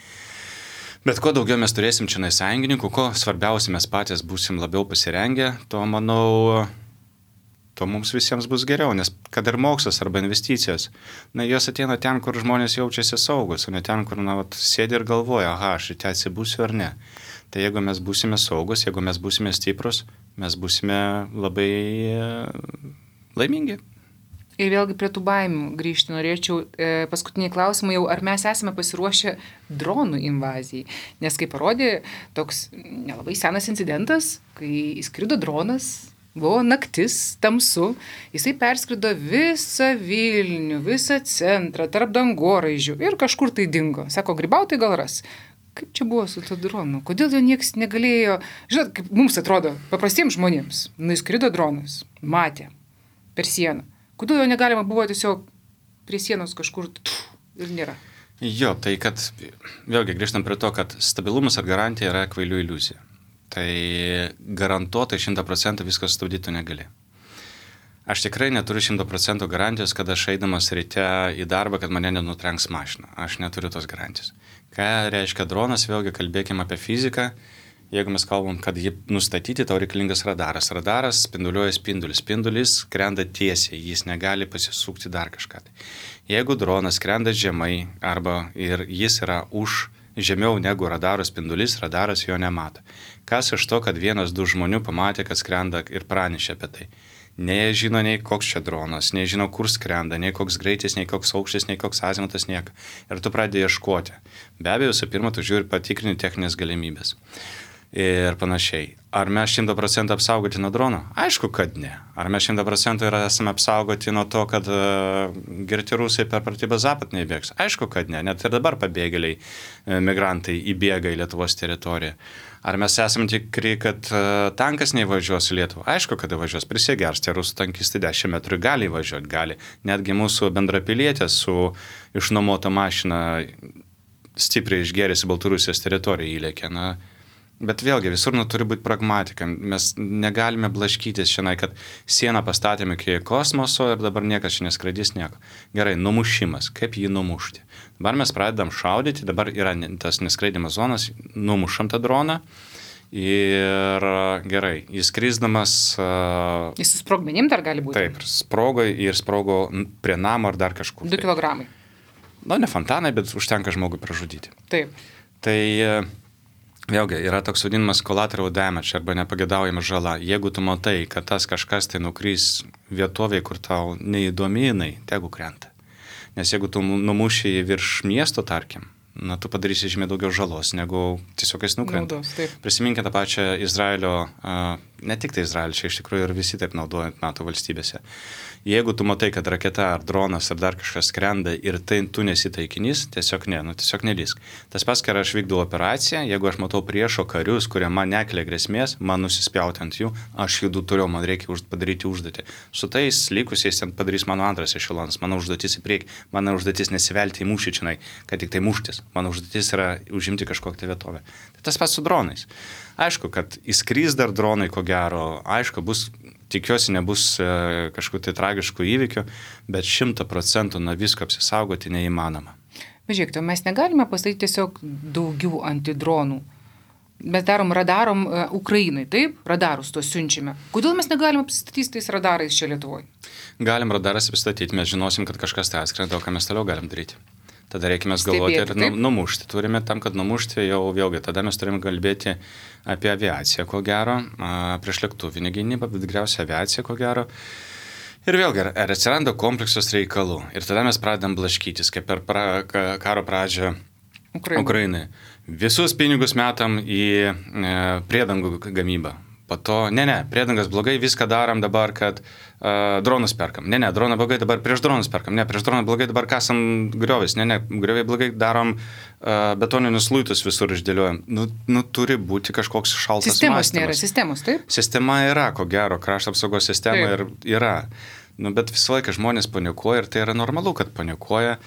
Bet kuo daugiau mes turėsim čia sąjungininkų, kuo svarbiausia mes patys būsim labiau pasirengę, to, manau, tuo mums visiems bus geriau, nes kad ir mokslas arba investicijos, jos ateina ten, kur žmonės jaučiasi saugus, o ne ten, kur sėdi ir galvoja, aš čia atsibūsiu ar ne. Tai jeigu mes būsime saugus, jeigu mes būsime stiprus, mes būsime labai laimingi. Ir vėlgi prie tų baimių grįžti norėčiau. Paskutiniai klausimai jau, ar mes esame pasiruošę dronų invazijai? Nes kaip parodė toks nelabai senas incidentas, kai įskrido dronas, buvo naktis, tamsu, jisai perskrido visą Vilnių, visą centrą, tarp dangoraižių ir kažkur tai dingo. Sako, grybautojai gal ras. Kaip čia buvo su to dronu? Kodėl jo niekas negalėjo... Žinot, kaip mums atrodo, paprastiems žmonėms, įskrido dronas, matė per sieną. Kodėl jo negalima buvo tiesiog prie sienos kažkur ir nėra? Jo, tai kad, vėlgi grįžtam prie to, kad stabilumas ar garantija yra kvailių iliuzija. Tai garantuotai 100% viską sustabdyti negali. Aš tikrai neturiu 100% garantijos, kad aš eidamas ryte į darbą, kad mane nenutrenks mašina. Aš neturiu tos garantijos. Ką reiškia dronas, vėlgi kalbėkime apie fiziką. Jeigu mes kalbam, kad jį nustatyti, tau reikalingas radaras. Radaras spinduliuoja spindulis. Spindulis skrenda tiesiai, jis negali pasisukti dar kažką. Jeigu dronas skrenda žemai arba ir jis yra žemiau negu radaro spindulis, radaras jo nemato. Kas iš to, kad 1-2 žmonių pamatė, kad skrenda ir pranešė apie tai? Nei žino, nei koks čia dronas, nei žino, kur skrenda, nei koks greitis, nei koks aukštis, nei koks azimutas, nieko. Ir tu pradėjai ieškoti. Be abejo, visų pirma, tu žiūri patikrinti techninės galimybės. Ir panašiai. Ar mes 100% apsaugoti nuo drono? Aišku, kad ne. Ar mes 100% esame apsaugoti nuo to, kad girti rusai per pratybą Zapad neįbėgs? Aišku, kad ne. Net ir dabar pabėgėliai, migrantai įbėga į Lietuvos teritoriją. Ar mes esame tikri, kad tankas neįvažiuos į Lietuvą? Aišku, kad įvažiuos. Prisigers, tie rusų tankistai 10 metrų gali įvažiuoti, gali. Netgi mūsų bendrapilietė su išnuomota mašina stipriai išgėrėsi Baltarusijos teritoriją įlėkė. Bet vėlgi, visur turi būti pragmatika. Mes negalime blaškytis šiandien, kad sieną pastatėme iki kosmoso ir dabar niekas čia neskraidys nieko. Gerai, numušimas. Kaip jį numušti? Dabar mes pradedam šaudyti, dabar yra tas neskraidimas zonas, numušam tą droną ir gerai, jis skrisdamas... Jis su sprogmenim dar gali būti? Taip, sprogo prie namo ar dar kažkur. 2 kilogramai. Ne fontanai, bet užtenka žmogui pražudyti. Taip. Tai... Vėlgi, yra toks vadinamas collateral damage arba nepagėdaujama žala. Jeigu tu matai, kad tas kažkas tai nukrys vietovėje, kur tau neįdomi jinai, tegu krenta. Nes jeigu tu numuši virš miesto, tarkim, tu padarysi žymiai daugiau žalos, negu tiesiog jis nukrenta. Prisiminkite tą pačią Izraelio, ne tik tai Izraelio, čia iš tikrųjų ir visi taip naudojant NATO valstybėse. Jeigu tu matai, kad raketa ar dronas ar dar kažkas skrenda ir tai tu nesi taikinys, tiesiog tiesiog nelysk. Tas pats, kai aš vykdau operaciją, jeigu aš matau priešo karius, kurie man nekelia grėsmės, man nusispjauti ant jų, aš judu turiu, man reikia padaryti užduotį. Su tais likusiais ten padarys mano antras ešelonas, mano užduotis į priekį, mano užduotis nesivelti į mūšį čionai, kad tik tai muštis. Mano užduotis yra užimti kažkokią vietovę. Tai tas pats su dronais. Aišku, kad įskris dar dronai, ko gero, aišku, tikiuosi nebus kažkokių tai tragiškų įvykių, bet 100% nuo visko apsisaugoti neįmanoma. Bet žiūrėkite, mes negalime pastatyti tiesiog daugiau antidronų. Mes radarom Ukrainai, taip? Radarus to siunčiame. Kodėl mes negalime apsistatyti tais radarais čia Lietuvoje? Galim radaras apsistatyti, mes žinosim, kad kažkas tai atskrenda, o ką mes toliau galim daryti. Tada reikime galvoti ir numušti. Turime tam, kad numušti jau vėlgi. Tada mes turime kalbėti apie aviaciją, ko gero, prieš lėktuvinę gynybą, bet tikriausiai aviaciją, ko gero. Ir vėlgi, ar atsiranda kompleksas reikalų. Ir tada mes pradedam blaškytis, kaip per karo pradžią Ukrainai. Visus pinigus metam į priedangų gamybą. Po to, priedangas blogai, viską darom dabar, kad dronus perkam. Droną blogai, dabar prieš dronus perkam. Prieš droną blogai, dabar kasam griovis. Grioviai blogai, darom betoninius luitus visur išdėliojam. Turi būti kažkoks šaltas sistemos mąstymas. Nėra sistemos, taip? Sistema yra, ko gero, krašto apsaugos sistema yra. Bet visą laiką žmonės panikuoja ir tai yra normalu, kad panikuoja.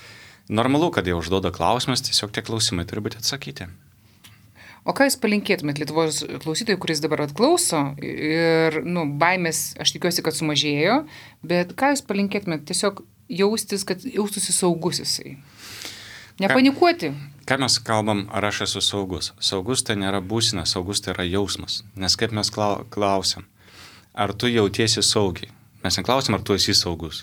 Normalu, kad jie užduoda klausimus, tiesiog tie klausimai turi būti atsakyti. O ką jūs palinkėtumėt Lietuvos klausytojui, kuris dabar atklauso ir, baimės, aš tikiuosi, kad sumažėjo, bet ką jūs palinkėtumėt tiesiog jaustis, kad jaustųsi saugus jisai? Nepanikuoti. Ką mes kalbam, ar aš esu saugus? Saugus tai nėra būsena, saugus tai yra jausmas. Nes kaip mes klausiam, ar tu jautiesi saugiai? Mes neklausim, ar tu esi saugus.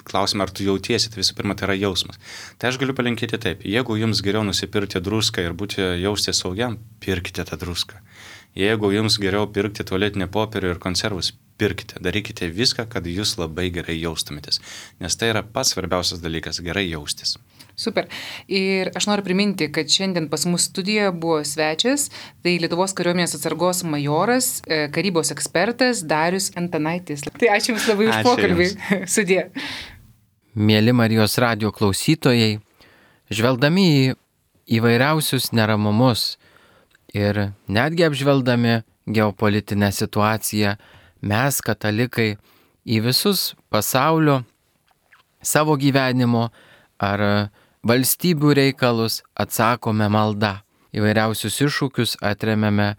Klausim, ar tu jautiesi, tai visų pirma, tai yra jausmas. Tai aš galiu palinkėti taip, jeigu jums geriau nusipirkti druską ir būti jausti saugiam, pirkite tą druską. Jeigu jums geriau pirkti tualetinį popierių ir konservus, pirkite, darykite viską, kad jūs labai gerai jaustumėtės. Nes tai yra pats svarbiausias dalykas - gerai jaustis. Super. Ir aš noriu priminti, kad šiandien pas mus studijoje buvo svečias, tai Lietuvos kariuomenės atsargos majoras, karybos ekspertas Darius Antanaitis. Tai ačiū Jums labai už pokalbį. Sudie. Mėly Marijos radijo klausytojai, žvelgdami į įvairiausius neramumus ir netgi apžvelgdami geopolitinę situaciją, mes, katalikai, į visus pasaulio, savo gyvenimo ar valstybių reikalus atsakome malda. Įvairiausius iššūkius atremiame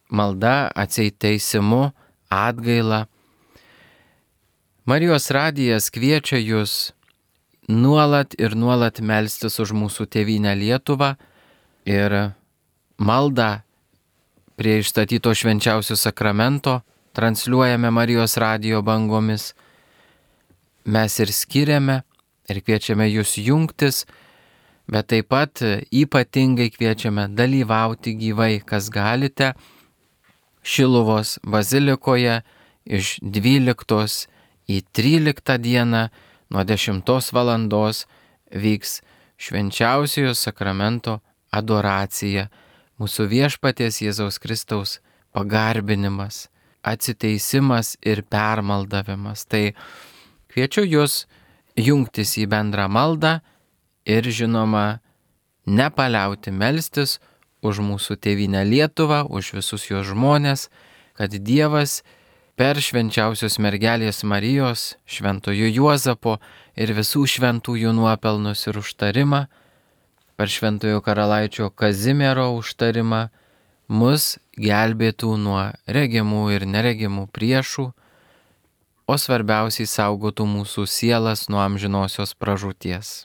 malda, atseit teisimu, atgaila. Marijos radijas kviečia jūs nuolat ir nuolat melstis už mūsų tėvynę Lietuvą ir maldą prie išstatyto švenčiausio sakramento transliuojame Marijos radijo bangomis. Mes ir skiriame ir kviečiame jūs jungtis, bet taip pat ypatingai kviečiame dalyvauti gyvai, kas galite, Šiluvos bazilikoje iš 12 į 13 dieną nuo 10 valandos vyks švenčiausiojo sakramento adoracija, mūsų viešpaties Jėzaus Kristaus pagarbinimas, atsiteisimas ir permaldavimas. Tai kviečiu jūs jungtis į bendrą maldą ir žinoma nepaliauti melstis už mūsų tėvynę Lietuvą, už visus jos žmonės, kad Dievas per švenčiausios mergelės Marijos, šventojo Juozapo ir visų šventųjų nuopelnus ir užtarimą, per šventojo karalaičio Kazimiero užtarimą, mus gelbėtų nuo regimų ir neregimų priešų, o svarbiausiai saugotų mūsų sielas nuo amžinosios pražūties.